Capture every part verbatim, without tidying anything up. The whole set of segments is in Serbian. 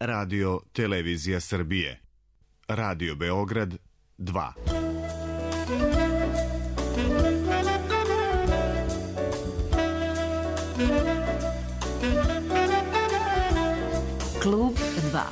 Radio Televizija Srbije. Radio Beograd dva. Klub dva.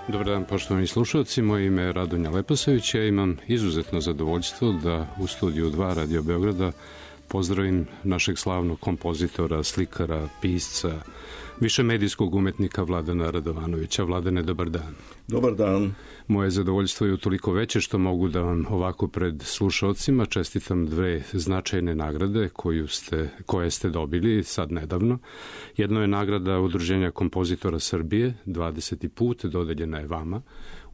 Dobar dan, poštovani slušalci, moje ime je Radonja Leposavić. Ja imam izuzetno zadovoljstvo da u studiju dva Radio Beograda pozdravim našeg slavnog kompozitora, slikara, pisca, višemedijskog umetnika Vladana Radovanovića. Vladane, dobar dan. Dobar dan. Moje zadovoljstvo je utoliko veće što mogu da vam ovako pred slušalcima čestitam dve značajne nagrade koju ste, koje ste dobili sad nedavno. Jedno je nagrada Udruženja kompozitora Srbije, dvadeseti put, dodeljena je vama.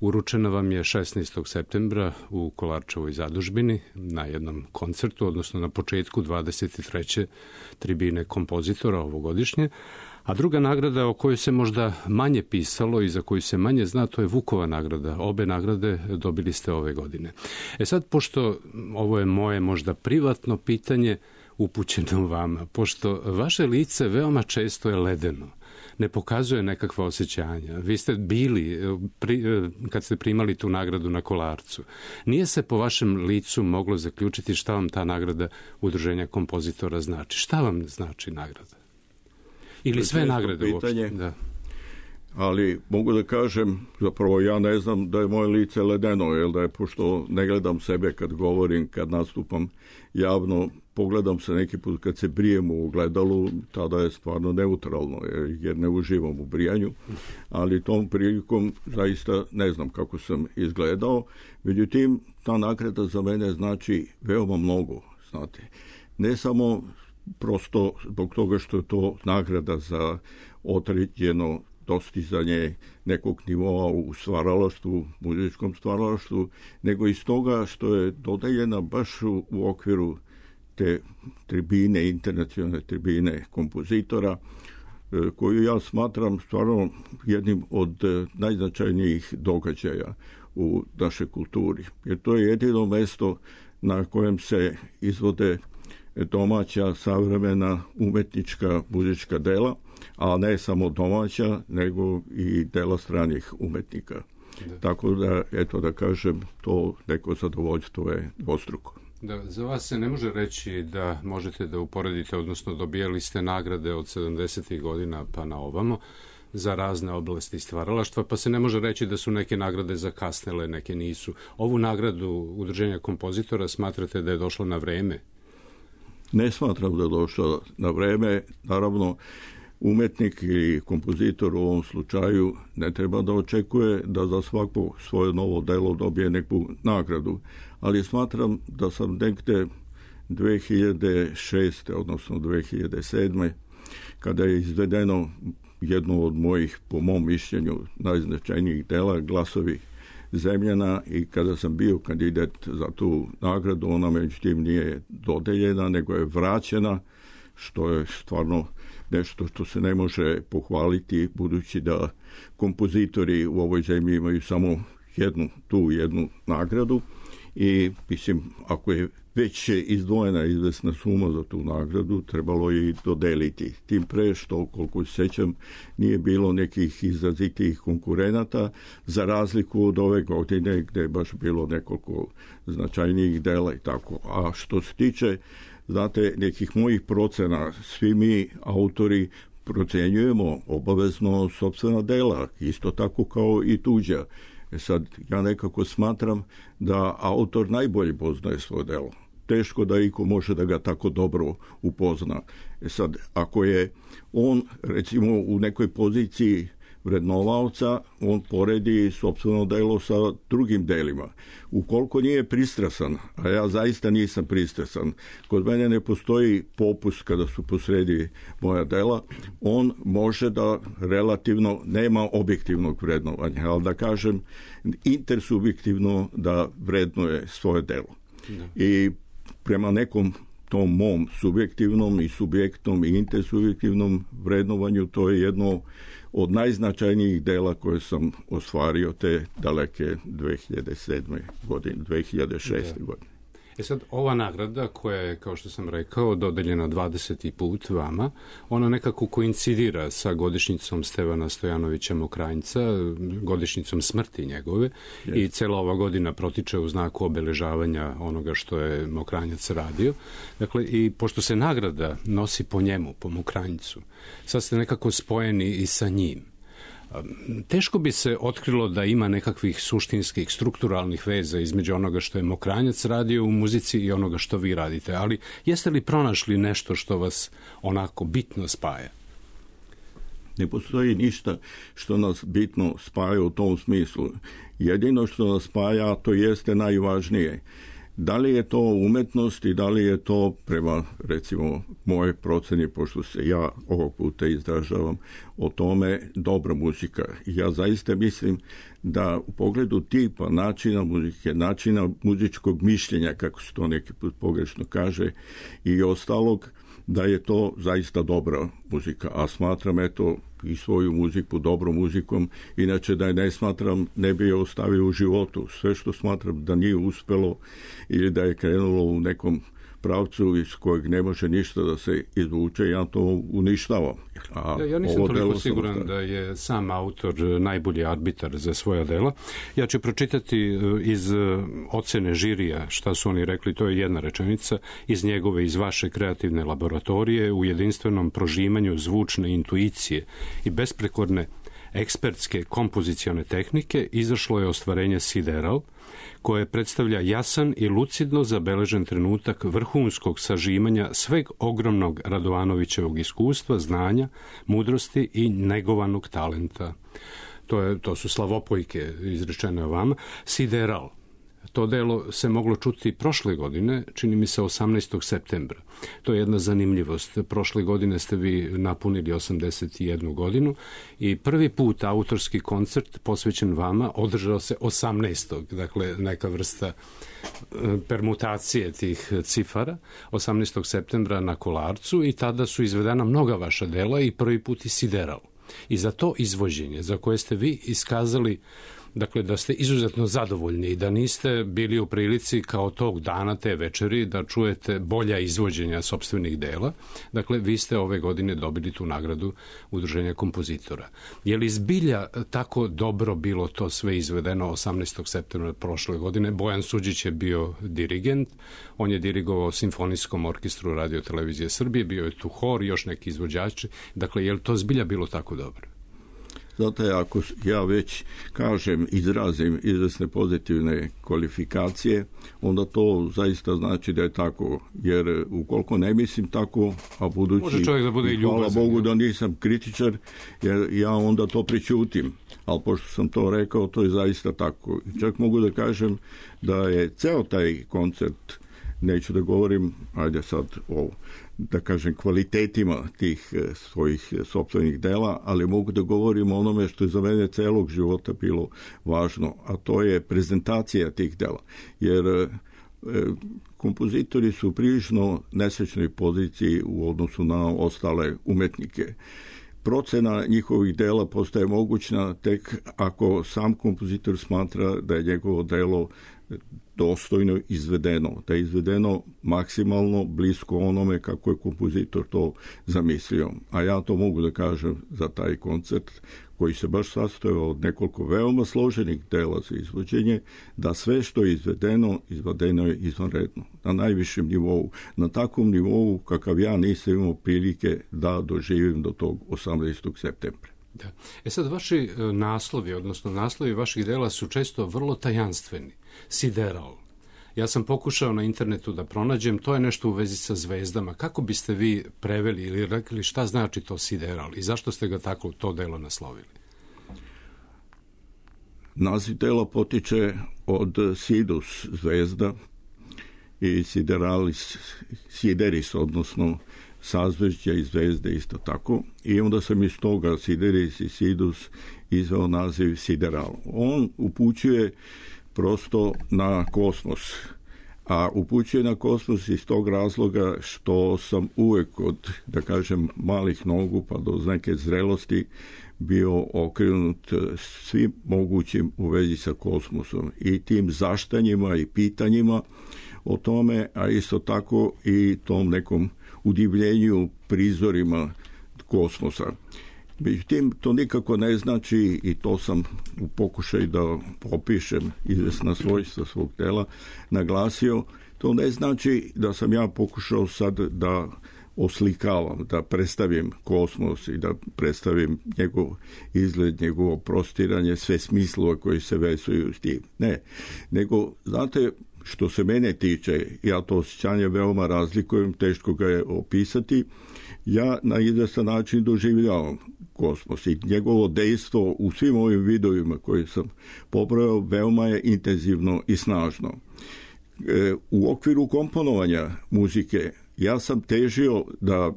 Uručena vam je šesnaestog septembra u Kolarčevoj zadužbini na jednom koncertu, odnosno na početku dvadeset treće tribine kompozitora ovogodišnje. A druga nagrada o kojoj se možda manje pisalo i za koju se manje zna, to je Vukova nagrada. Obe nagrade dobili ste ove godine. E sad, pošto ovo je moje možda privatno pitanje upućeno vama, pošto vaše lice veoma često je ledeno, ne pokazuje nekakva osjećanja. Vi ste bili, pri, kad ste primali tu nagradu na Kolarcu, nije se po vašem licu moglo zaključiti šta vam ta nagrada Udruženja kompozitora znači. Šta vam znači nagrada? Ili sve nagrade uopšte. Da. Ali mogu da kažem, zapravo ja ne znam da je moje lice ledeno, jer da je, pošto ne gledam sebe kad govorim, kad nastupam javno, pogledam se neki put kad se brijem u ogledalu, tada je stvarno neutralno, jer ne uživam u brijanju, ali tom prilikom zaista ne znam kako sam izgledao. Međutim, ta nagrada za mene znači veoma mnogo, znate. Ne samo prosto zbog toga što je to nagrada za određeno dostizanje nekog nivoa u stvaralaštvu, muzičkom stvaralaštvu, nego i stoga što je dodeljena baš u, u okviru te tribine, internacionalne tribine kompozitora, koju ja smatram stvarno jednim od najznačajnijih događaja u našoj kulturi. Jer to je jedino mesto na kojem se izvode domaća, savremena, umetnička, muzička dela, a ne samo domaća, nego i dela stranih umetnika. Da. Tako da, eto da kažem, to neko zadovoljstvo je dvostruko. Da, za vas se ne može reći da možete da uporedite, odnosno dobijali ste nagrade od sedamdesetih godina pa na ovamo za razne oblasti stvaralaštva, pa se ne može reći da su neke nagrade zakasnele, neke nisu. Ovu nagradu Udruženja kompozitora smatrate da je došla na vreme? Ne smatram da je došla na vreme. Naravno, umetnik i kompozitor u ovom slučaju ne treba da očekuje da za svako svoje novo delo dobije neku nagradu, ali smatram da sam negde dve hiljade šeste. odnosno dve hiljade sedme. kada je izvedeno jedno od mojih, po mom mišljenju, najznačajnijih dela, Glasovi Zemljana, i kada sam bio kandidat za tu nagradu, ona međutim nije dodeljena, nego je vraćena, što je stvarno nešto što se ne može pohvaliti, budući da kompozitori u ovoj zemlji imaju samo jednu, tu jednu nagradu, i mislim, ako je već izdvojena izvesna suma za tu nagradu, trebalo je i dodeliti. Tim pre što, koliko se sećam, nije bilo nekih izrazitih konkurenata, za razliku od ove godine gde je baš bilo nekoliko značajnijih dela i tako. A što se tiče, znate, nekih mojih procena, svi mi autori procenjujemo obavezno sopstvena dela, isto tako kao i tuđa. E sad, ja nekako smatram da autor najbolje poznaje svoje delo. Teško da iko može da ga tako dobro upozna. E sad, ako je on, recimo, u nekoj poziciji vrednovaoca, on poredi sopstveno delo sa drugim delima. Ukoliko nije pristrasan, a ja zaista nisam pristrasan, kod mene ne postoji popust kada su posredi moja dela, on može da relativno nema objektivnog vrednovanja, ali da kažem intersubjektivno da vrednuje svoje delo. Da. I prema nekom tom mom subjektivnom i subjektnom i intersubjektivnom vrednovanju, to je jedno od najznačajnijih dela koje sam ostvario te daleke dve hiljade sedme godine, dve hiljade šeste da. godine. E sad, ova nagrada koja je, kao što sam rekao, dodeljena dvadeseti put vama, ona nekako koincidira sa godišnjicom Stevana Stojanovića Mokranjca, godišnjicom smrti njegove, yes. i cela ova godina protiče u znaku obeležavanja onoga što je Mokranjac radio. Dakle, i pošto se nagrada nosi po njemu, po Mokranjcu, sad ste nekako spojeni i sa njim. Teško bi se otkrilo da ima nekakvih suštinskih, strukturalnih veza između onoga što je Mokranjac radio u muzici i onoga što vi radite, ali jeste li pronašli nešto što vas onako bitno spaja? Ne postoji ništa što nas bitno spaja u tom smislu. Jedino što nas spaja, to jeste najvažnije. Da li je to umetnost i da li je to prema, recimo, moje proceni, pošto se ja ovog puta izražavam o tome, dobra muzika. Ja zaista mislim da u pogledu tipa, načina muzike, načina muzičkog mišljenja, kako se to neki put pogrešno kaže, i ostalog, da je to zaista dobra muzika. A smatram, eto, i svoju muziku dobrom muzikom, inače da je ne smatram, ne bi je ostavio u životu. Sve što smatram da nije uspelo ili da je krenulo u nekom pravcu iz kojeg ne može ništa da se izvuče, ja to uništavam. A ja, ja nisam toliko siguran sam... da je sam autor najbolji arbitar za svoja dela. Ja ću pročitati iz ocene žirija šta su oni rekli, to je jedna rečenica, iz njegove, iz vaše kreativne laboratorije u jedinstvenom prožimanju zvučne intuicije i besprekorne ekspertske kompozicione tehnike izašlo je ostvarenje Sideral, koje predstavlja jasan i lucidno zabeležen trenutak vrhunskog sažimanja sveg ogromnog Radovanovićevog iskustva, znanja, mudrosti i negovanog talenta. To, je, to su slavopojke izrečene o vama. Sideral. To delo se moglo čuti prošle godine, čini mi se osamnaestog septembra. To je jedna zanimljivost. Prošle godine ste vi napunili osamdeset jednu godinu i prvi put autorski koncert posvećen vama održao se osamnaestog Dakle, neka vrsta permutacije tih cifara, osamnaestog septembra na Kolarcu, i tada su izvedena mnoga vaša dela i prvi put i Sideral. I za to izvođenje, za koje ste vi iskazali, dakle, da ste izuzetno zadovoljni i da niste bili u prilici kao tog dana, te večeri, da čujete bolja izvođenja sopstvenih dela. Dakle, vi ste ove godine dobili tu nagradu Udruženja kompozitora. Je li zbilja tako dobro bilo to sve izvedeno osamnaestog septembra prošle godine? Bojan Suđić je bio dirigent, on je dirigovao Simfonijskom orkestru Radio Televizije Srbije, bio je tu hor i još neki izvođači. Dakle, je li to zbilja bilo tako dobro? Zato je, ako ja već kažem, izrazim izvesne pozitivne kvalifikacije, onda to zaista znači da je tako. Jer ukoliko ne mislim tako, a budući, može čovjek da bude i ljubazan, hvala Bogu da nisam kritičar, jer ja onda to pričutim. Ali pošto sam to rekao, to je zaista tako. Čak mogu da kažem da je ceo taj koncert, neću da govorim, ajde sad o, da kažem, kvalitetima tih svojih sopstvenih dela, ali mogu da govorim o onome što je za mene celog života bilo važno, a to je prezentacija tih dela. Jer e, kompozitori su u prilično nesrećnoj poziciji u odnosu na ostale umetnike. Procena njihovih dela postaje mogućna tek ako sam kompozitor smatra da je njegovo delo dostojno izvedeno, da je izvedeno maksimalno blisko onome kako je kompozitor to zamislio. A ja to mogu da kažem za taj koncert koji se baš sastojao od nekoliko veoma složenih dela za izvođenje, da sve što je izvedeno, izvedeno je izvanredno, na najvišem nivou, na takvom nivou kakav ja nisam imao prilike da doživim do tog osamnaestog septembra. Da. E sad, vaši naslovi, odnosno naslovi vaših dela su često vrlo tajanstveni. Sideral. Ja sam pokušao na internetu da pronađem, to je nešto u vezi sa zvezdama. Kako biste vi preveli ili rekli šta znači to Sideral i zašto ste ga tako to delo naslovili? Naziv dela potiče od Sidus zvezda i Sideralis, Sideris, odnosno sazvežđa i zvezde isto tako. I onda sam iz toga Sideris i Sidus izveo naziv Sideral. On upućuje prosto na kosmos. A upućuje na kosmos iz tog razloga što sam uvek od, da kažem, malih nogu pa do neke zrelosti bio okrenut svim mogućim u vezi sa kosmosom i tim zaštanjima i pitanjima o tome, a isto tako i tom nekom udivljenju prizorima kosmosa. Međutim, to nikako ne znači, i to sam u pokušaju da opišem izvesna svojstva svog tela naglasio, to ne znači da sam ja pokušao sad da oslikavam, da predstavim kosmos i da predstavim njegov izgled, njegovo prostiranje, sve smislova koji se vezuju s tim. Ne, nego, znate, što se mene tiče, ja to osjećanje veoma razlikujem, teško ga je opisati, ja na izvestan način doživljavam kosmos i njegovo dejstvo u svim ovim vidovima koje sam pobrojao veoma je intenzivno i snažno. E, u okviru komponovanja muzike ja sam težio da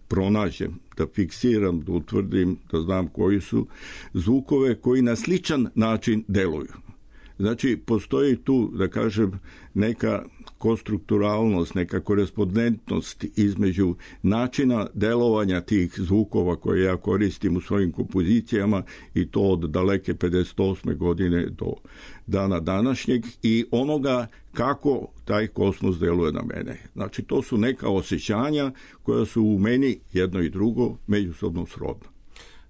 pronađem, da fiksiram, da utvrdim, da znam koji su zvukove koji na sličan način deluju. Znači, postoji tu, da kažem, neka konstrukturalnost, neka korespondentnost između načina delovanja tih zvukova koje ja koristim u svojim kompozicijama i to od daleke pedeset osme godine do dana današnjeg i onoga kako taj kosmos deluje na mene. Znači, to su neka osjećanja koja su u meni jedno i drugo međusobno srodna.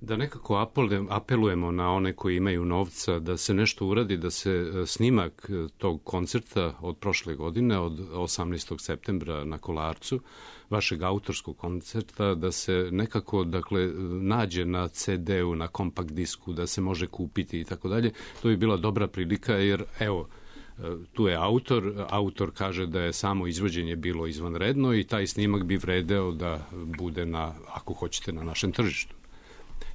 Da nekako apelujemo na one koji imaju novca da se nešto uradi, da se snimak tog koncerta od prošle godine, od osamnaestog septembra na Kolarcu, vašeg autorskog koncerta, da se nekako, dakle, nađe na ce de u, na kompakt disku, da se može kupiti i tako dalje. To bi bila dobra prilika jer, evo, tu je autor, autor kaže da je samo izvođenje bilo izvanredno i taj snimak bi vredeo da bude na, ako hoćete, na našem tržištu.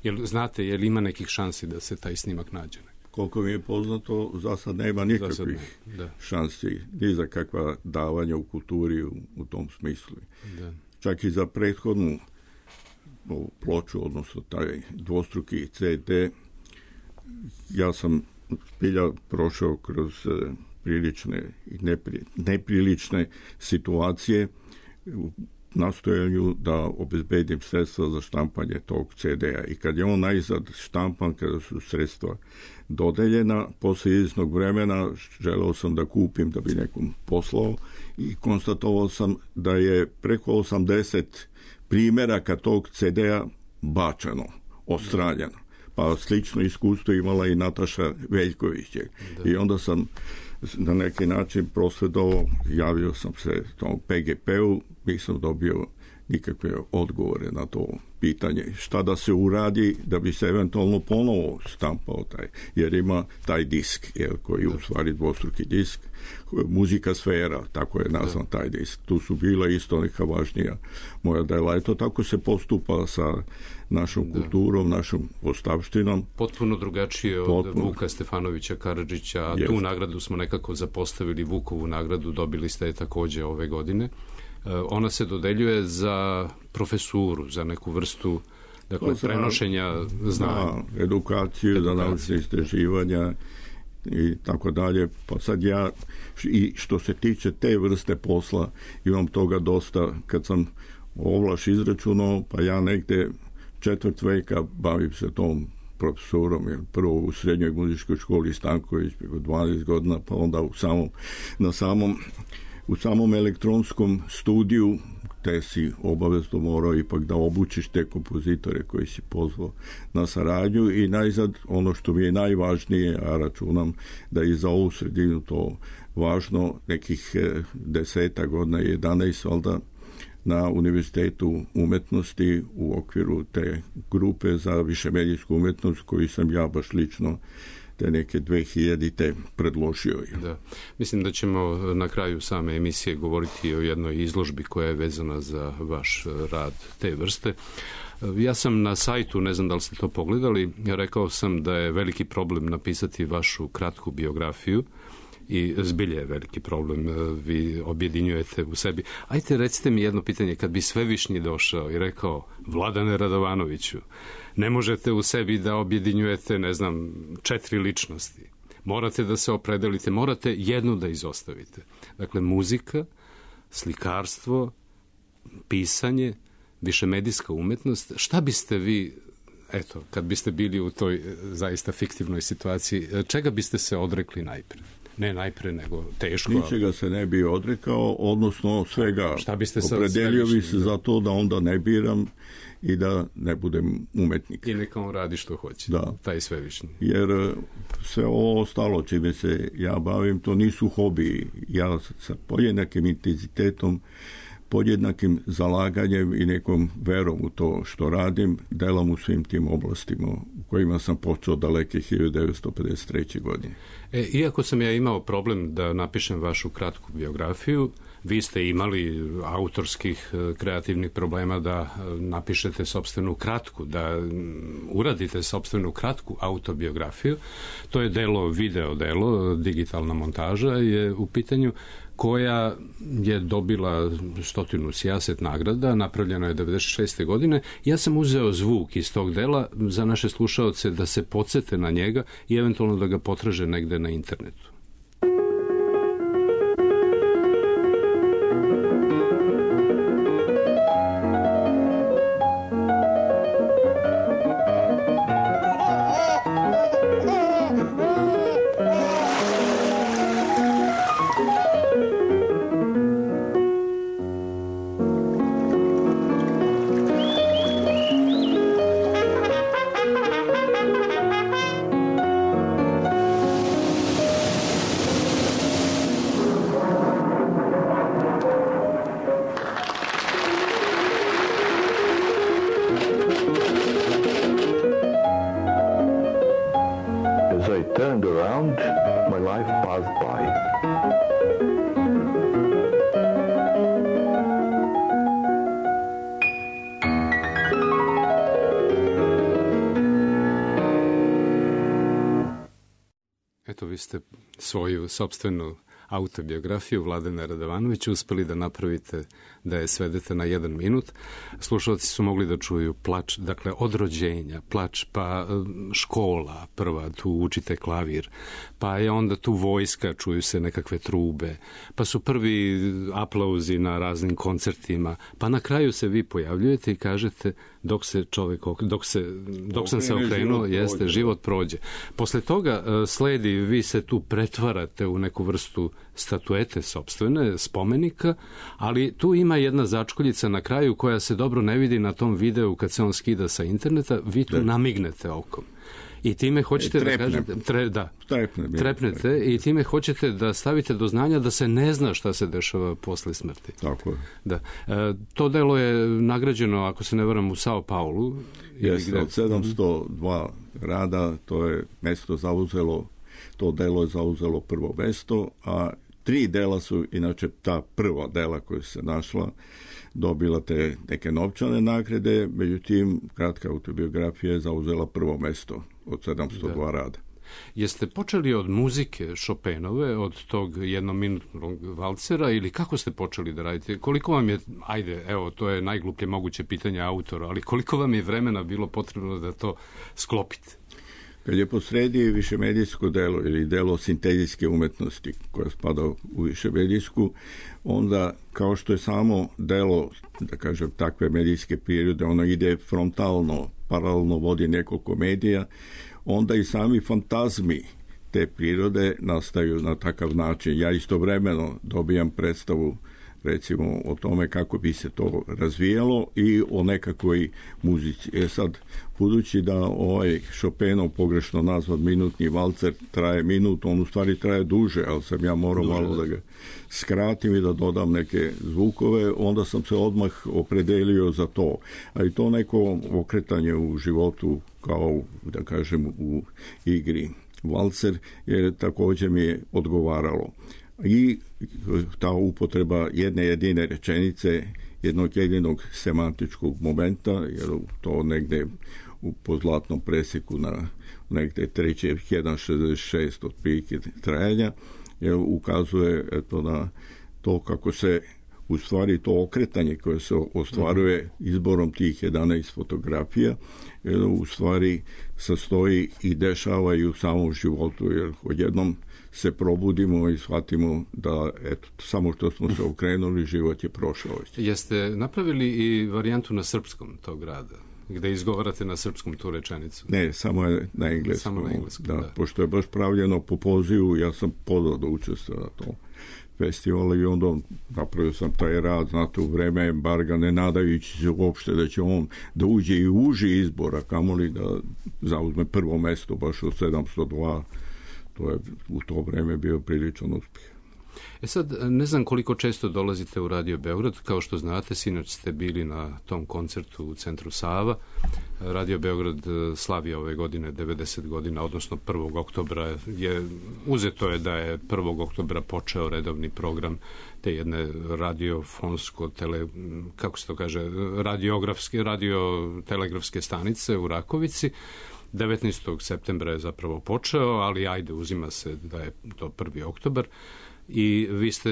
Jel znate, je li ima nekih šansi da se taj snimak nađe? Koliko mi je poznato, za sad nema nikakvih ne, šansi, ni za kakva davanja u kulturi u, u tom smislu. Da. Čak i za prethodnu ploču, odnosno taj dvostruki ce de, ja sam zbilja prošao kroz prilične i nepri, neprilične situacije u nastojanju da obezbedim sredstva za štampanje tog ce de-a. I kad je on najzad štampan, kada su sredstva dodeljena, posle izvesnog vremena želeo sam da kupim da bi nekom poslao i konstatovao sam da je preko osamdeset primjeraka tog ce de-a bačeno, odstranjeno. Pa slično iskustvo imala i Nataša Veljković. Da. I onda sam na neki način prosvedovao, javio sam se tom pe ge pe-u, nisam dobio nikakve odgovore na to pitanje. Šta da se uradi da bi se eventualno ponovo štampao taj, jer ima taj disk, jer, koji je u stvari dvostruki disk, muzika sfera, tako je nazvan taj disk. Tu su bila isto neka važnija moja dela. Eto, tako se postupa sa našom da. kulturom, našom ostavštinom. Potpuno drugačije od Potpuno. Vuka Stefanovića Karadžića, a yes. tu nagradu smo nekako zapostavili, Vukovu nagradu, dobili ste je takođe ove godine. Ona se dodeljuje za profesuru, za neku vrstu, dakle, za, prenošenja znanja. Za edukaciju, za naučne istraživanja i tako dalje. Pa sad ja, i što se tiče te vrste posla, imam toga dosta. Kad sam ovlaš izračunao, pa ja negde četvrt veka bavim se tom profesorom, jer prvo u srednjoj muzičkoj školi Stanković, dvanaest godina, pa onda u samom, na samom u samom elektronskom studiju, te si obavezno morao ipak da obučiš te kompozitore koji si pozvao na saradnju i najzad ono što mi je najvažnije, a računam da je za ovu sredinu to važno, nekih deseta godina, jedanaest valjda, na Univerzitetu umetnosti u okviru te grupe za višemedijsku umetnost koju sam ja baš lično te neke dve hiljadite predložio. Da. Mislim da ćemo na kraju same emisije govoriti o jednoj izložbi koja je vezana za vaš rad te vrste. Ja sam na sajtu, ne znam da li ste to pogledali, rekao sam da je veliki problem napisati vašu kratku biografiju i zbilje je veliki problem, vi objedinjujete u sebi. Ajte, recite mi jedno pitanje, kad bi Svevišnji došao i rekao Vladane Radovanoviću, ne možete u sebi da objedinjujete, ne znam, četiri ličnosti. Morate da se opredelite, morate jednu da izostavite. Dakle, muzika, slikarstvo, pisanje, višemedijska umetnost. Šta biste vi, eto, kad biste bili u toj zaista fiktivnoj situaciji, čega biste se odrekli najpre? Ne najpre, nego teško. Ničega se ne bi odrekao, odnosno svega. Šta biste opredelio bi se za to da onda ne biram i da ne budem umetnik. I neka on radi što hoće. Da. Taj Svevišnji. Jer sve ovo ostalo čime se ja bavim, to nisu hobiji. Ja sa podjednakim intenzitetom, podjednakim zalaganjem i nekom verom u to što radim, delam u svim tim oblastima u kojima sam počeo daleke hiljadu devetsto pedeset treće. godine. E, iako sam ja imao problem da napišem vašu kratku biografiju, vi ste imali autorskih kreativnih problema da napišete sopstvenu kratku, da uradite sopstvenu kratku autobiografiju. To je delo, video delo, digitalna montaža je u pitanju, koja je dobila stotinu sijaset nagrada, napravljena je devedeset šeste. godine. Ja sam uzeo zvuk iz tog dela za naše slušaoce da se podsete na njega i eventualno da ga potraže negde na internetu. Eto, vi ste svoju sopstvenu autobiografiju Vladana Radovanovića uspeli da napravite, da je svedete na jedan minut. Slušalci su mogli da čuju plač, dakle od rođenja, plač, pa škola prva, tu učite klavir, pa je onda tu vojska, čuju se nekakve trube, pa su prvi aplauzi na raznim koncertima, pa na kraju se vi pojavljujete i kažete dok se čovjek, dok se, dok sam se okrenuo, jeste, život prođe. Posle toga sledi, vi se tu pretvarate u neku vrstu statuete sopstvene, spomenika, ali tu ima jedna začkoljica na kraju koja se dobro ne vidi na tom videu kad se on skida sa interneta, vi tu namignete okom. I time hoćete da kažete, tre, da, Trepne, trepnete i time hoćete da stavite do znanja da se ne zna šta se dešava posle smrti. Tako je. Da. E, to delo je nagrađeno, ako se ne varam, u Sao Paulu. Jeste, od sedamsto dva rada to je mesto zauzelo, to delo je zauzelo prvo mesto, a tri dela su, inače ta prva dela koja se našla, dobila te neke novčane nagrade, međutim, kratka autobiografija je zauzela prvo mesto od sedamsto dva da. rada. Jeste počeli od muzike Chopinove, od tog jednominutnog valcera, ili kako ste počeli da radite? Koliko vam je, ajde, evo, to je najgluplje moguće pitanje autora, ali koliko vam je vremena bilo potrebno da to sklopite? Kad je posredi višemedijsko delo ili delo sintetijske umetnosti koja spada u višemedijsku, onda kao što je samo delo, da kažem, takve medijske prirode, ono ide frontalno, paralelno vodi nekoliko medija, onda i sami fantazmi te prirode nastaju na takav način. Ja istovremeno dobijam predstavu recimo o tome kako bi se to razvijalo i o nekakvoj muzici. E sad, budući da ovaj Chopinov pogrešno nazvat minutni valcer traje minut, on u stvari traje duže, ali sam ja morao duže, malo da ga skratim i da dodam neke zvukove, onda sam se odmah opredelio za to. A i to neko okretanje u životu kao, da kažem, u igri. valcer, jer također mi je odgovaralo. I ta upotreba jedne jedine rečenice, jednog jedinog semantičkog momenta, jer to negde u pozlatnom presjeku na negde treći jedan zarez šezdeset šest otprilike trajanja, jer ukazuje eto, na to kako se u stvari to okretanje koje se ostvaruje izborom tih jedanaest fotografija, jer u stvari sastoji i dešava i u samom životu, jer odjednom se probudimo i shvatimo da eto, samo što smo se okrenuli, život je prošao. Jeste napravili i varijantu na srpskom tog rada, gde izgovarate na srpskom tu rečenicu? Ne, samo je na engleskom. Samo na engleskom, da, da. Pošto je baš pravljeno po pozivu, ja sam pozvao da učestvuje na tom festivalu i onda napravio sam taj rad, znate, u vreme embarga, ne nadajući se uopšte da će on da uđe i u uži izbor, a kamoli da zauzme prvo mesto baš od sedamsto dva. To je u to vreme bio priličan uspjeh. E sad, ne znam koliko često dolazite u Radio Beograd, kao što znate, sinoć ste bili na tom koncertu u centru Sava. Radio Beograd slavi ove godine devedeset godina, odnosno prvog oktobra je, uzeto je da je prvog oktobra počeo redovni program te jedne radiofonsko tele, kako se to kaže, radiografske, radiotelegrafske stanice u Rakovici. devetnaestog septembra je zapravo počeo, ali ajde, uzima se da je to prvi oktobar. I vi ste,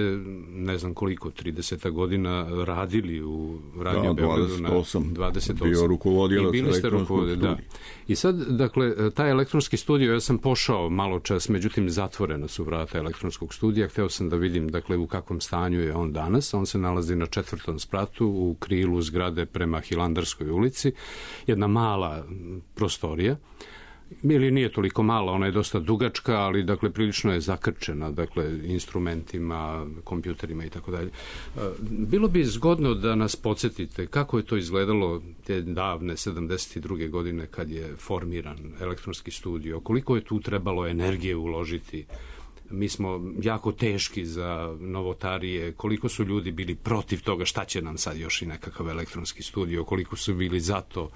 ne znam koliko, trideset godina radili u Radio da, Beogradu dvadeset osam, na dvadeset osam. Bio rukovodilac elektronskog studija. Da. I sad, dakle, taj elektronski studio, ja sam pošao malo čas, međutim, zatvoreno su vrata elektronskog studija. Hteo sam da vidim, dakle, u kakvom stanju je on danas. On se nalazi na četvrtom spratu u krilu zgrade prema Hilandarskoj ulici. Jedna mala prostorija. Ili nije toliko mala, ona je dosta dugačka, ali dakle prilično je zakrčena, dakle instrumentima, kompjuterima i tako dalje. Bilo bi zgodno da nas podsjetite kako je to izgledalo te davne sedamdeset druge godine kad je formiran elektronski studio, koliko je tu trebalo energije uložiti. Mi smo jako teški za novotarije, koliko su ljudi bili protiv toga, šta će nam sad još i nekakav elektronski studio, koliko su bili za to.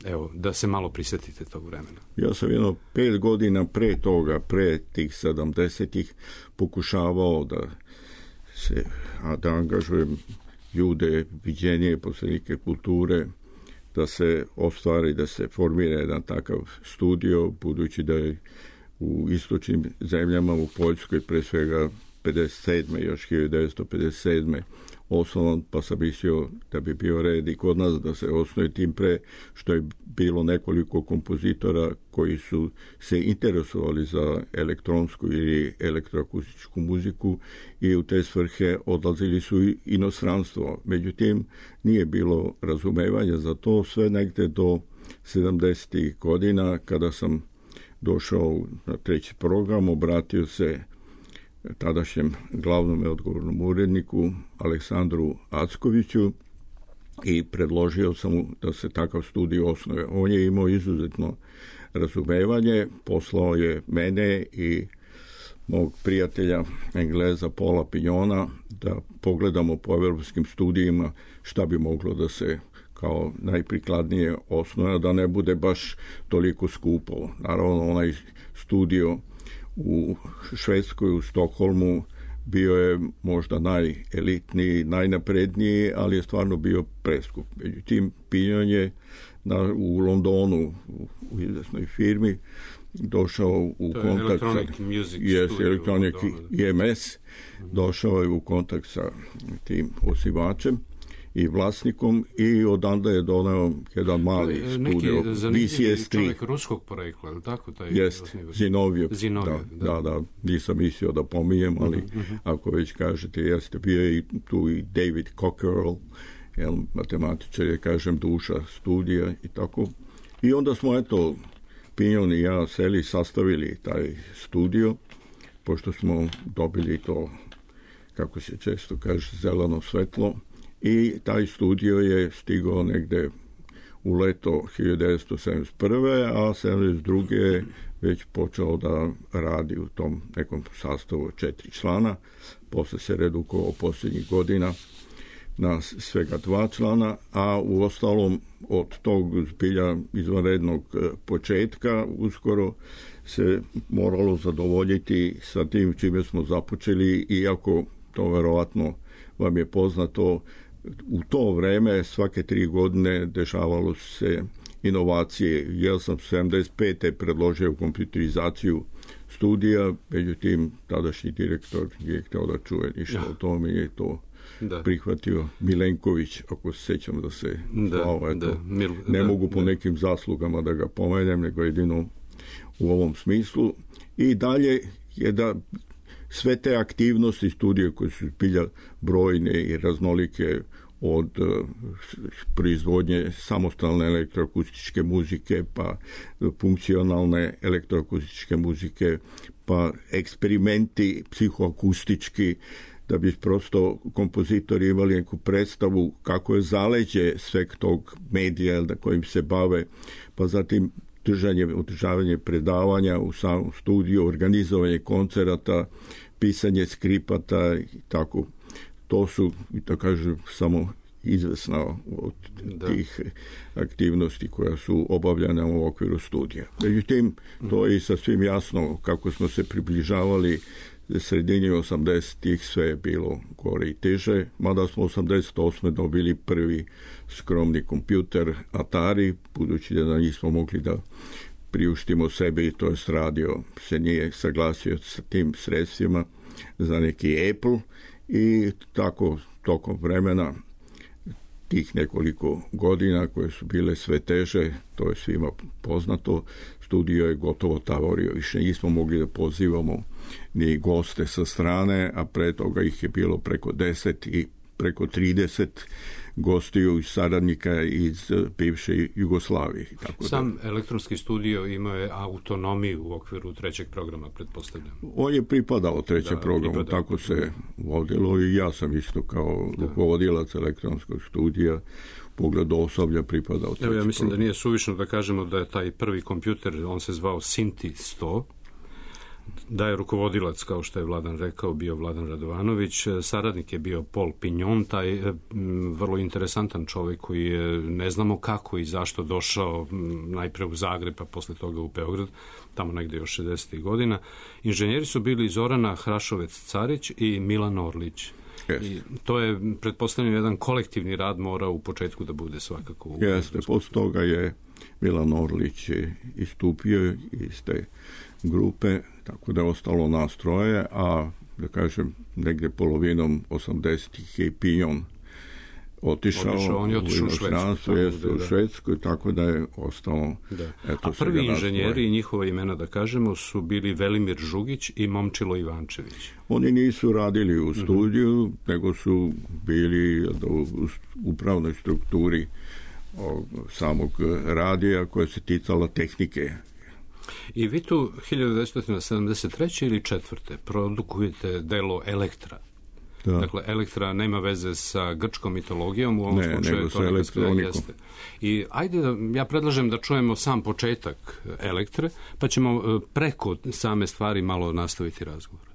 Evo, da se malo prisjetite tog vremena. Ja sam jedno pet godina pre toga, pre tih sedamdesetih, pokušavao da se, a da angažujem ljude, viđenije, posrednike kulture, da se ostvari, da se formira jedan takav studio, budući da je u istočnim zemljama, u Poljskoj, pre svega pedeset sedme, još hiljadu devetsto pedeset sedme osnovan, pa sam mislio da bi bio red i kod nas da se osnuje, tim pre što je bilo nekoliko kompozitora koji su se interesovali za elektronsku ili elektroakustičku muziku i u te svrhe odlazili su i inostranstvo. Međutim, nije bilo razumevanja za to sve negde do sedamdesetih godina, kada sam došao na treći program, obratio se tadašnjem glavnom i odgovornom uredniku Aleksandru Ackoviću i predložio sam mu da se takav studio osnuje. On je imao izuzetno razumevanje, poslao je mene i mog prijatelja Engleza Paula Pignona da pogledamo po evropskim studijima šta bi moglo da se kao najprikladnije osnuje, da ne bude baš toliko skupo. Naravno, onaj studio u Švedskoj, u Stokholmu, bio je možda najelitniji, najnapredniji, ali je stvarno bio preskup. Međutim, Pignon je na, u Londonu, u, u izvesnoj firmi, došao u to kontakt sa yes, Electronic I M S, došao je u kontakt sa tim osnivačem i vlasnikom i odanda je doneo jedan mali studio V C S tri. Čovjek ruskog porekla, je li tako? Jest, Zinovjev. Zinovjev, da, da. da, da, nisam mislio da pomijem, ali uh-huh, uh-huh. ako već kažete, jeste, bio je i tu i David Cockerell, jel, matematičar je, kažem, duša studija i tako. I onda smo, eto, Pignon i ja seli, sastavili taj studio, pošto smo dobili to, kako se često kaže, zeleno svetlo. I taj studio je stigao negde u leto hiljadu devetsto sedamdeset prve. a sedamdeset druge je već počeo da radi u tom nekom sastavu četiri člana. Posle se redukovao posljednjih godina na svega dva člana, a u ostalom od tog zbilja izvanrednog početka uskoro se moralo zadovoljiti sa tim čime smo započeli, iako to verovatno vam je poznato, u to vreme svake tri godine dešavalo se inovacije. Ja sam sedamdeset pete predložio kompjuterizaciju studija, međutim tadašnji direktor je htio da čuje ništa ja. o tome i je to da. prihvatio Milenković, ako se sećam da se da, zvao, eto, da, Mil, ne da, mogu po da. nekim zaslugama da ga pomenem, nego jedino u ovom smislu. I dalje je da sve te aktivnosti studije koje su bilja brojne i raznolike, od uh, proizvodnje samostalne elektroakustičke muzike, pa funkcionalne elektroakustičke muzike, pa eksperimenti psihoakustički, da bi prosto kompozitori imali neku predstavu kako je zaleđe sveg tog medija na kojim se bave, pa zatim držanje, održavanje predavanja u samom studiju, organizovanje koncerata, pisanje skripata i tako. To su, da kažem, samo izvesna od da. tih aktivnosti koja su obavljane u okviru studija. Međutim, to je i sasvim jasno kako smo se približavali sredini osamdesetih, sve je bilo gore i teže, mada smo osamdeset osme dobili prvi skromni kompjuter Atari, budući da nismo mogli da priuštimo sebi, to jest radio se nije saglasio sa tim sredstvima za neki Apple, i tako tokom vremena tih nekoliko godina koje su bile sve teže, to je svima poznato, studio je gotovo tavorio, više nismo mogli da pozivamo ni goste sa strane, a pre toga ih je bilo preko deset i preko trideset gostiju i saradnika iz bivše Jugoslavije. Tako Sam da, elektronski studio imao je autonomiju u okviru trećeg programa, pretpostavljam. On je pripadao trećem da, programu, pripadao. tako se vodilo, i ja sam isto kao rukovodilac elektronskog studija pogledu osoblja pripadao trećem programu. Evo, ja mislim program. da nije suvišno da kažemo da je taj prvi kompjuter, on se zvao Sinti sto, da je rukovodilac, kao što je Vladan rekao, bio Vladan Radovanović, saradnik je bio Paul Pignon, taj m, vrlo interesantan čovjek koji je, ne znamo kako i zašto, došao m, najpre u Zagreb, pa posle toga u Beograd, tamo negde još šezdesetih godina. Inženjeri su bili Zorana Hrašovec-Carić i Milan Orlić. Yes. I to je, pretpostavljam, jedan kolektivni rad mora u početku da bude svakako. U Jeste, posle toga je Milan Orlić istupio iz te grupe, tako da je ostalo nas troje, a da kažem, negde polovinom osamdesetih je Pignon otišao, otišao on je otišao u Švedsku, jeste, u Švedsku, tako da je ostalo. Da. Eto, a prvi inženjeri i njihova imena, da kažemo, su bili Velimir Žugić i Momčilo Ivančević. Oni nisu radili u studiju, mm-hmm. nego su bili u upravnoj strukturi samog radija koja se ticala tehnike. I vi tu hiljadu devetsto sedamdeset treće ili četvrte produkujete delo Elektra. Da. Dakle, Elektra nema veze sa grčkom mitologijom, u ovom ne, slučaju to nekako jeste. I ajde, ja predlažem da čujemo sam početak Elektre, pa ćemo preko same stvari malo nastaviti razgovor.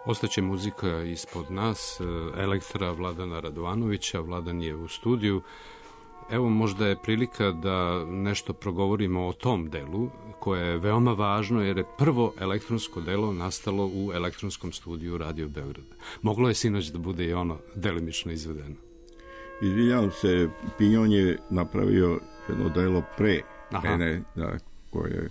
Ostaće muzika ispod nas, Elektra Vladana Radovanovića, Vladan je u studiju. Evo, možda je prilika da nešto progovorimo o tom delu, koje je veoma važno, jer je prvo elektronsko delo nastalo u elektronskom studiju Radio Beograd. Moglo je sinoć da bude i ono delimično izvedeno. Izvinjavam se, Pignon je napravio jedno delo pre Aha. mene, da, koje je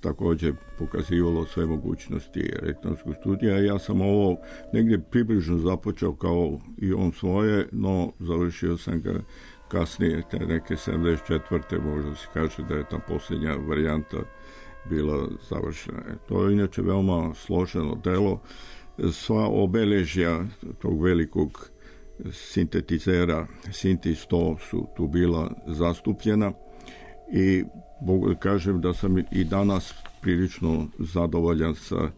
također pokazivalo sve mogućnosti elektronskog studija. Ja sam ovo negdje približno započeo kao i on svoje, no završio sam ga kasnije, te neke sedamdeset četvrte možda se kaže da je ta posljednja varijanta bila završena. To je inače veoma složeno delo. Sva obeležja tog velikog sintetizera Sinti sto su tu bila zastupljena i mogu da kažem da sam i danas prilično zadovoljan sa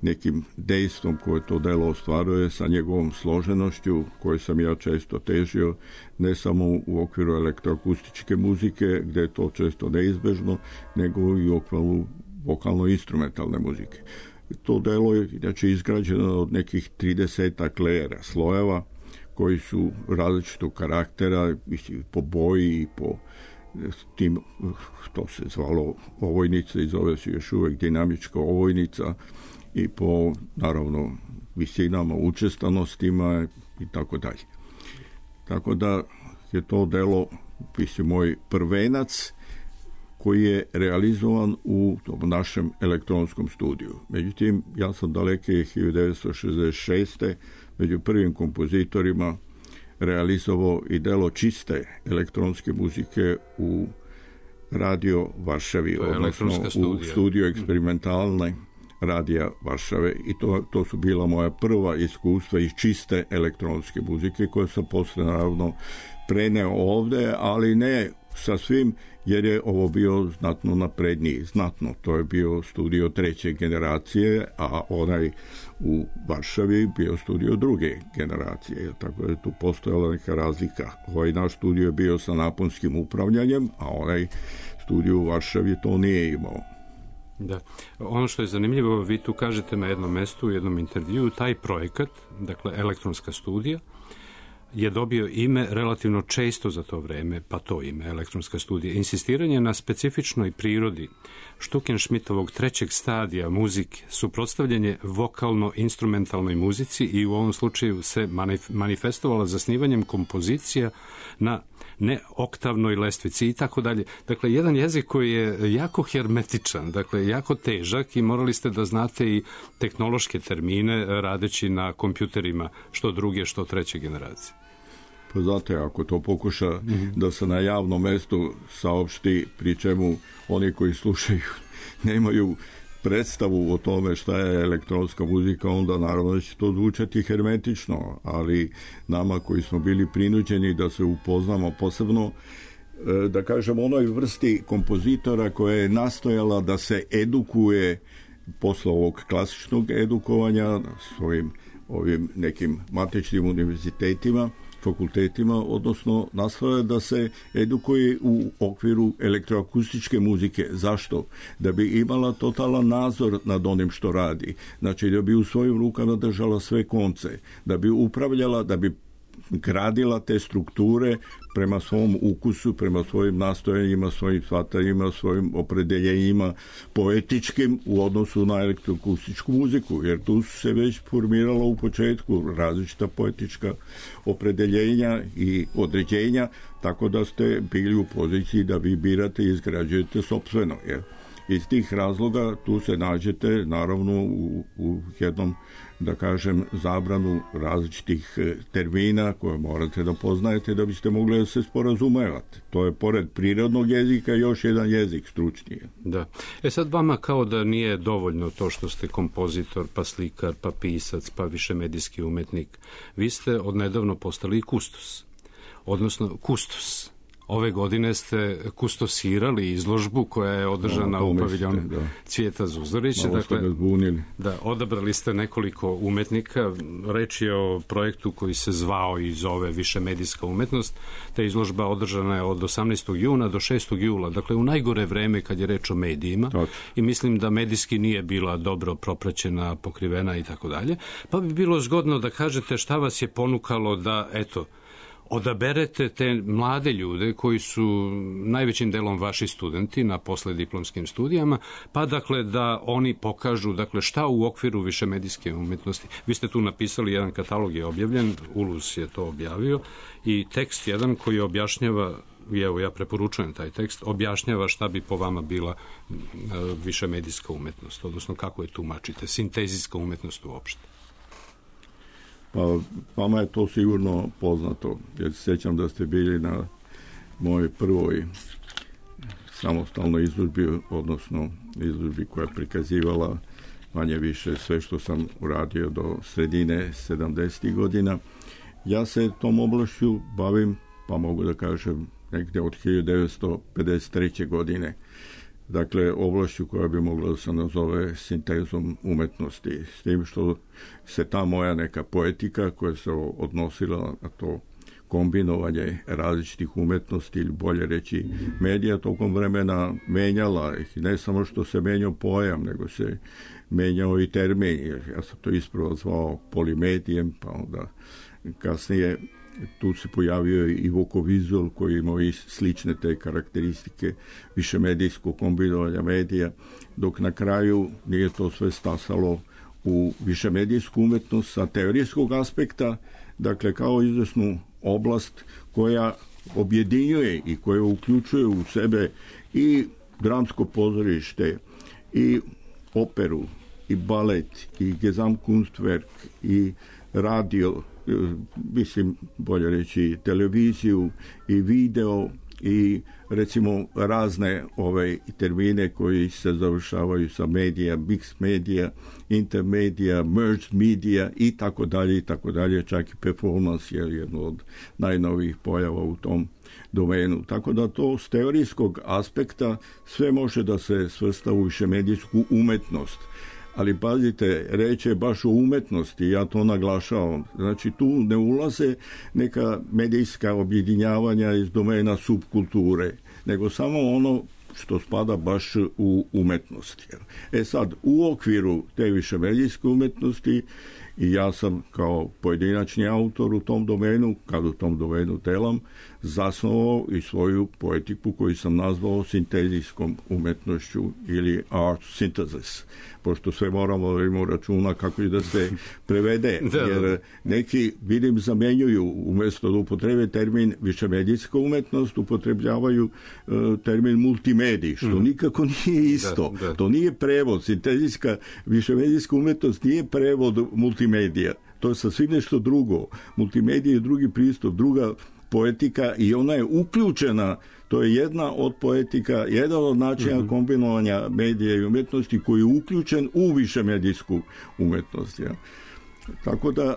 nekim dejstvom koje to delo ostvaruje, sa njegovom složenošću koju sam ja često težio, ne samo u okviru elektroakustičke muzike, gde je to često neizbežno, nego i u okviru vokalno-instrumentalne muzike. To delo je inače izgrađeno od nekih tridesetak lejera, slojeva, koji su različitog karaktera, po boji i po tim, to se zvalo ovojnica i zove se još uvek dinamička ovojnica, i po, naravno, visinama, učestanostima i tako dalje. Tako da je to delo, mislim, moj prvenac koji je realizovan u tom našem elektronskom studiju. Međutim, ja sam daleke hiljadu devetsto šezdeset šeste među prvim kompozitorima realizovao i delo čiste elektronske muzike u Radio Varšavi, odnosno u studiju eksperimentalne Radija Varšave, i to, to su bila moja prva iskustva iz čiste elektronske muzike koje sam posle naravno preneo ovde, ali ne sa svim, jer je ovo bio znatno napredniji, znatno. To je bio studio treće generacije, a onaj u Varšavi bio studio druge generacije, tako da je tu postojala neka razlika. Ovaj naš studio je bio sa naponskim upravljanjem, a onaj studio u Varšavi to nije imao. Da. Ono što je zanimljivo, vi tu kažete na jednom mestu, u jednom intervju, taj projekat, dakle elektronska studija, je dobio ime relativno često za to vreme, pa to ime, elektronska studija. Insistiranje na specifičnoj prirodi Štukenšmitovog trećeg stadija muzike, suprotstavljanje vokalno-instrumentalnoj muzici i u ovom slučaju se manifestovala zasnivanjem kompozicija na neoktavnoj lestvici i tako dalje. Dakle, jedan jezik koji je jako hermetičan, dakle, jako težak i morali ste da znate i tehnološke termine radeći na kompjuterima, što druge, što treće generacije. Pa znate, ako to pokuša mm-hmm. da se na javnom mestu saopšti, pri čemu oni koji slušaju nemaju predstavu o tome šta je elektronska muzika, onda naravno da će to zvučati hermetično, ali nama koji smo bili prinuđeni da se upoznamo posebno, da kažem, onoj vrsti kompozitora koja je nastojala da se edukuje posle ovog klasičnog edukovanja svojim ovim nekim matičnim univerzitetima, fakultetima, odnosno nastoja da se edukuje u okviru elektroakustičke muzike. Zašto? Da bi imala totalan nadzor nad onim što radi. Znači, da bi u svojim rukama držala sve konce, da bi upravljala, da bi gradila te strukture prema svom ukusu, prema svojim nastojanjima, svojim shvatanjima, svojim opredeljenjima poetičkim u odnosu na elektroakustičku muziku, jer tu su se već formirala u početku različita poetička opredeljenja i određenja, tako da ste bili u poziciji da vi birate i izgrađujete sopstveno. Jer iz tih razloga tu se nađete naravno u, u jednom, da kažem, zabranu različitih termina koje morate da poznajete da biste mogli da se sporazumevate. To je pored prirodnog jezika još jedan jezik stručniji. Da. E sad vama kao da nije dovoljno to što ste kompozitor, pa slikar, pa pisac, pa višemedijski umetnik. Vi ste odnedavno postali i kustos, odnosno kustos. Ove godine ste kustosirali izložbu koja je održana no, u paviljonu Cvijeta Zuzorića. Dakle, da, odabrali ste nekoliko umetnika. Reč je o projektu koji se zvao i zove Višemedijska umetnost. Ta izložba održana je od osamnaestog juna do šestog jula. Dakle, u najgore vreme kad je reč o medijima. Tak. I mislim da medijski nije bila dobro propraćena, pokrivena i tako dalje. Pa bi bilo zgodno da kažete šta vas je ponukalo da, eto, odaberete te mlade ljude koji su najvećim delom vaši studenti na poslediplomskim studijama, pa dakle da oni pokažu dakle šta u okviru višemedijske umetnosti. Vi ste tu napisali, jedan katalog je objavljen, Ulus je to objavio, i tekst jedan koji objašnjava, i evo ja preporučujem taj tekst, objašnjava šta bi po vama bila višemedijska umetnost, odnosno kako je tumačite, sintezijska umetnost uopšte. Pa vama je to sigurno poznato, jer se sjećam da ste bili na mojoj prvoj samostalnoj izložbi, odnosno izložbi koja je prikazivala manje više sve što sam uradio do sredine sedamdesetih godina. Ja se tom oblašću bavim, pa mogu da kažem negdje od hiljadu devetsto pedeset treće. godine. Dakle, oblašću koja bi mogla da se nazove sintezom umetnosti. S tim što se ta moja neka poetika koja se odnosila na to kombinovanje različitih umetnosti ili bolje reći medija tokom vremena menjala. Ne samo što se menjao pojam, nego se menjao i termin. Ja sam to ispravo zvao polimedijem, pa onda kasnije tu se pojavio i vokovizual koji imao i slične te karakteristike višemedijskog kombinovanja medija, dok na kraju nije to sve stasalo u višemedijsku umetnost sa teorijskog aspekta, dakle kao izvesnu oblast koja objedinjuje i koja uključuje u sebe i dramsko pozorište, i operu, i balet, i Gesamtkunstwerk, i radio, mislim, bolje reći, televiziju i video i recimo razne ove termine koji se završavaju sa medija, mix medija, intermedija, merged media i tako dalje i tako dalje, čak i performance je jedno od najnovijih pojava u tom domenu. Tako da to s teorijskog aspekta sve može da se svrsta u višemedijsku umetnost. Ali pazite, reče baš o umetnosti, ja to naglašavam. Znači tu ne ulaze neka medijska objedinjavanja iz domena subkulture, nego samo ono što spada baš u umetnosti. E sad, u okviru te višemedijske umetnosti i ja sam kao pojedinačni autor u tom domenu, kad u tom domenu telam, zasnovao i svoju poetiku koju sam nazvao sintezijskom umetnošću ili art synthesis, pošto sve moramo da imamo računa kako da se prevede, jer neki, vidim, zamenjuju, umjesto da upotrebe termin višemedijska umetnost, upotrebljavaju uh, termin multimedij, što mm. nikako nije isto. Da, da. To nije prevod. Sintezijska višemedijska umetnost nije prevod multimedija. To je sasvim nešto drugo. Multimedija je drugi pristup, druga poetika i ona je uključena, to je jedna od poetika, jedan od načina mm-hmm. kombinovanja medija i umjetnosti koji je uključen u višemedijsku umetnost. Ja. Tako da,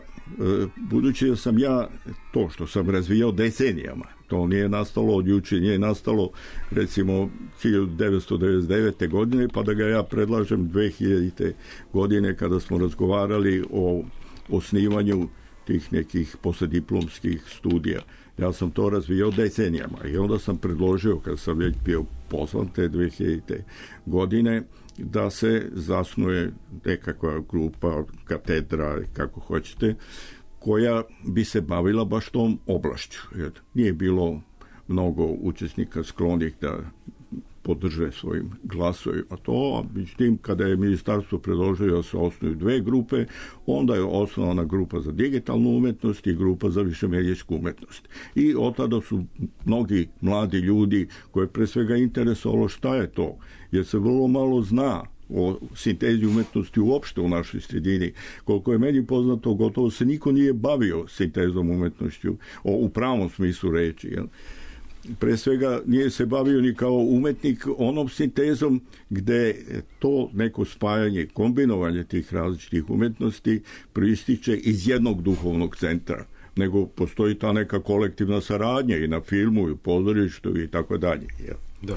budući da sam ja to što sam razvijao decenijama, to nije nastalo od juče, nije nastalo recimo hiljadu devetsto devedeset devete. godine, pa da ga ja predlažem dve hiljadite. godine kada smo razgovarali o osnivanju tih nekih poslijediplomskih studija. Ja sam to razvijao decenijama i onda sam predložio, kad sam već bio pozvan te dve hiljadite. godine, da se zasnuje nekakva grupa, katedra, kako hoćete, koja bi se bavila baš tom oblašću. Jer nije bilo mnogo učesnika sklonih da podrže svojim glasovima to, a međutim, kada je ministarstvo predložilo da se osnuju dve grupe, onda je osnovana grupa za digitalnu umetnost i grupa za višemedijsku umetnost. I od tada su mnogi mladi ljudi koje pre svega interesovalo šta je to, jer se vrlo malo zna o sintezi umetnosti uopšte u našoj sredini. Koliko je meni poznato, gotovo se niko nije bavio sintezom umetnošću o, u pravom smislu reči, jel? Pre svega nije se bavio ni kao umetnik onom sintezom gde to neko spajanje, kombinovanje tih različitih umetnosti proističe iz jednog duhovnog centra, nego postoji ta neka kolektivna saradnja i na filmu i u pozorištu i tako dalje. Da.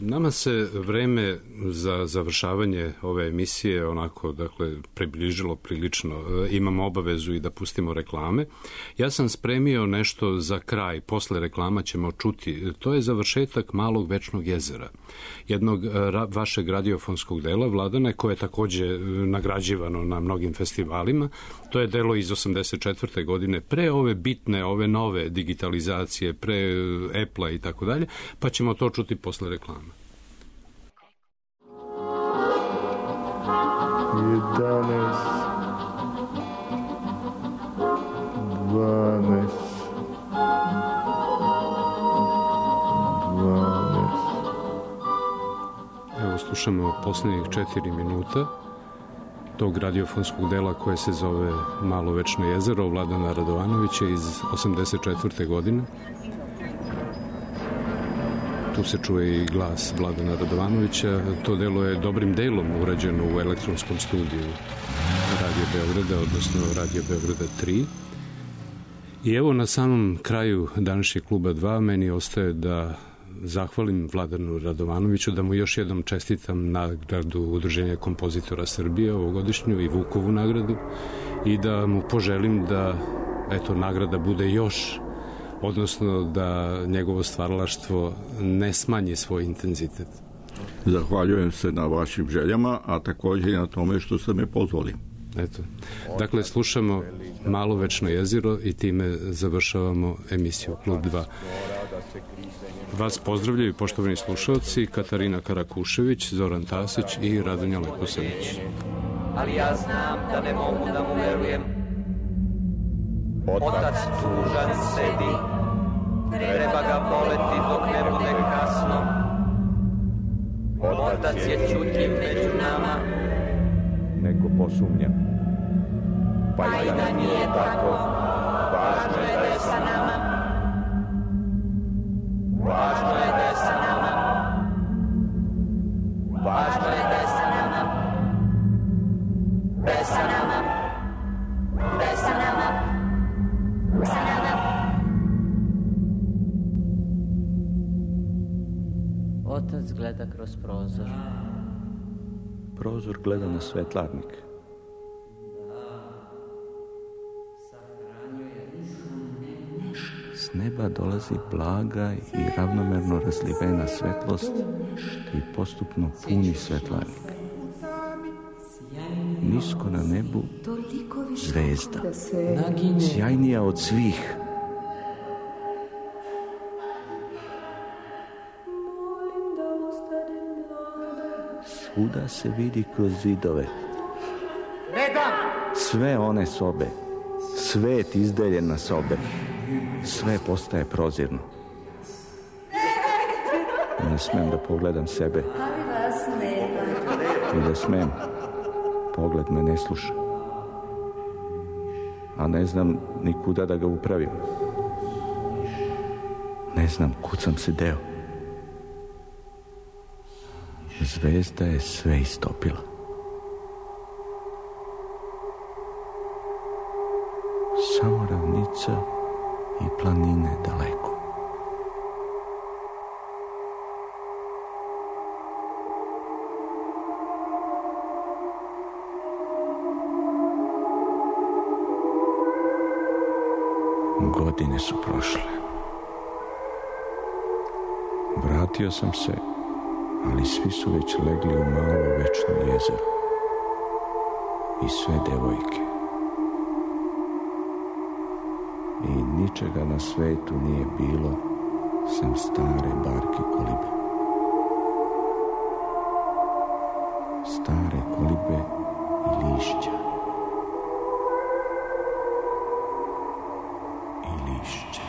Nama se vreme za završavanje ove emisije onako, dakle, približilo prilično. Imamo obavezu i da pustimo reklame. Ja sam spremio nešto za kraj, posle reklama ćemo čuti. To je završetak Malog večnog jezera, jednog ra- vašeg radiofonskog dela, Vladane, koje je takođe nagrađivano na mnogim festivalima. To je delo iz osamdeset četvrte. godine, pre ove bitne, ove nove digitalizacije, pre Apple-a i tako dalje, pa ćemo to čuti posle reklama. jedanaest, dvanaest, dvanaest. Evo, slušamo posljednjih četiri minuta tog radiofonskog dela koje se zove Malo večno jezero Vladana Radovanovića iz osamdeset četvrte. godine. Tu se čuje i glas Vladana Radovanovića. To delo je dobrim delom urađeno u elektronskom studiju Radio Beograda, odnosno Radio Beograda tri. I evo na samom kraju današnjeg kluba dva meni ostaje da zahvalim Vladanu Radovanoviću, da mu još jednom čestitam nagradu Udruženja kompozitora Srbije ovogodišnju i Vukovu nagradu i da mu poželim da eto nagrada bude još, odnosno da njegovo stvaralaštvo ne smanji svoj intenzitet. Zahvaljujem se na vašim željama, a također i na tome što ste me pozvali. Eto. Dakle, slušamo Malo večno jezero i time završavamo emisiju Klub dva. Vas pozdravljaju poštovani slušalci Katarina Karakušević, Zoran Tasić i Radonja Leposanić. Ali ja znam da ne mogu da mu verujem. Otac tužan sedi, treba ga voleti dok ne bude kasno. Otac je čutljiv među nama. Neko posumnja. Pa i da nije tako, važno je da je sa nama. Važno je da je sa nama. Važno je da je sa nama. Da je sa nama. Da je sa nama. Sa nama. Otac gleda kroz prozor. Prozor gleda na svetlarnik. S neba dolazi blaga i ravnomerno razlivena svetlost i postupno puni svetlarnik. Nisko na nebu zvezda, sjajnija od svih. Svuda se vidi kroz zidove. Sve one sobe, svet izdeljen na sobe, sve postaje prozirno. Ne smem da pogledam sebe. I da smem, pogled me ne sluša. A ne znam ni kuda da ga upravim. Ne znam kud sam se deo. Zvezda je sve istopila. Samo ravnica i planine daleko. Godine su prošle. Vratio sam se, ali svi su već legli u malo večno jezero. I sve devojke. I ničega na svetu nije bilo sem stare barke kolibe. Stare kolibe i lišća. I lišća.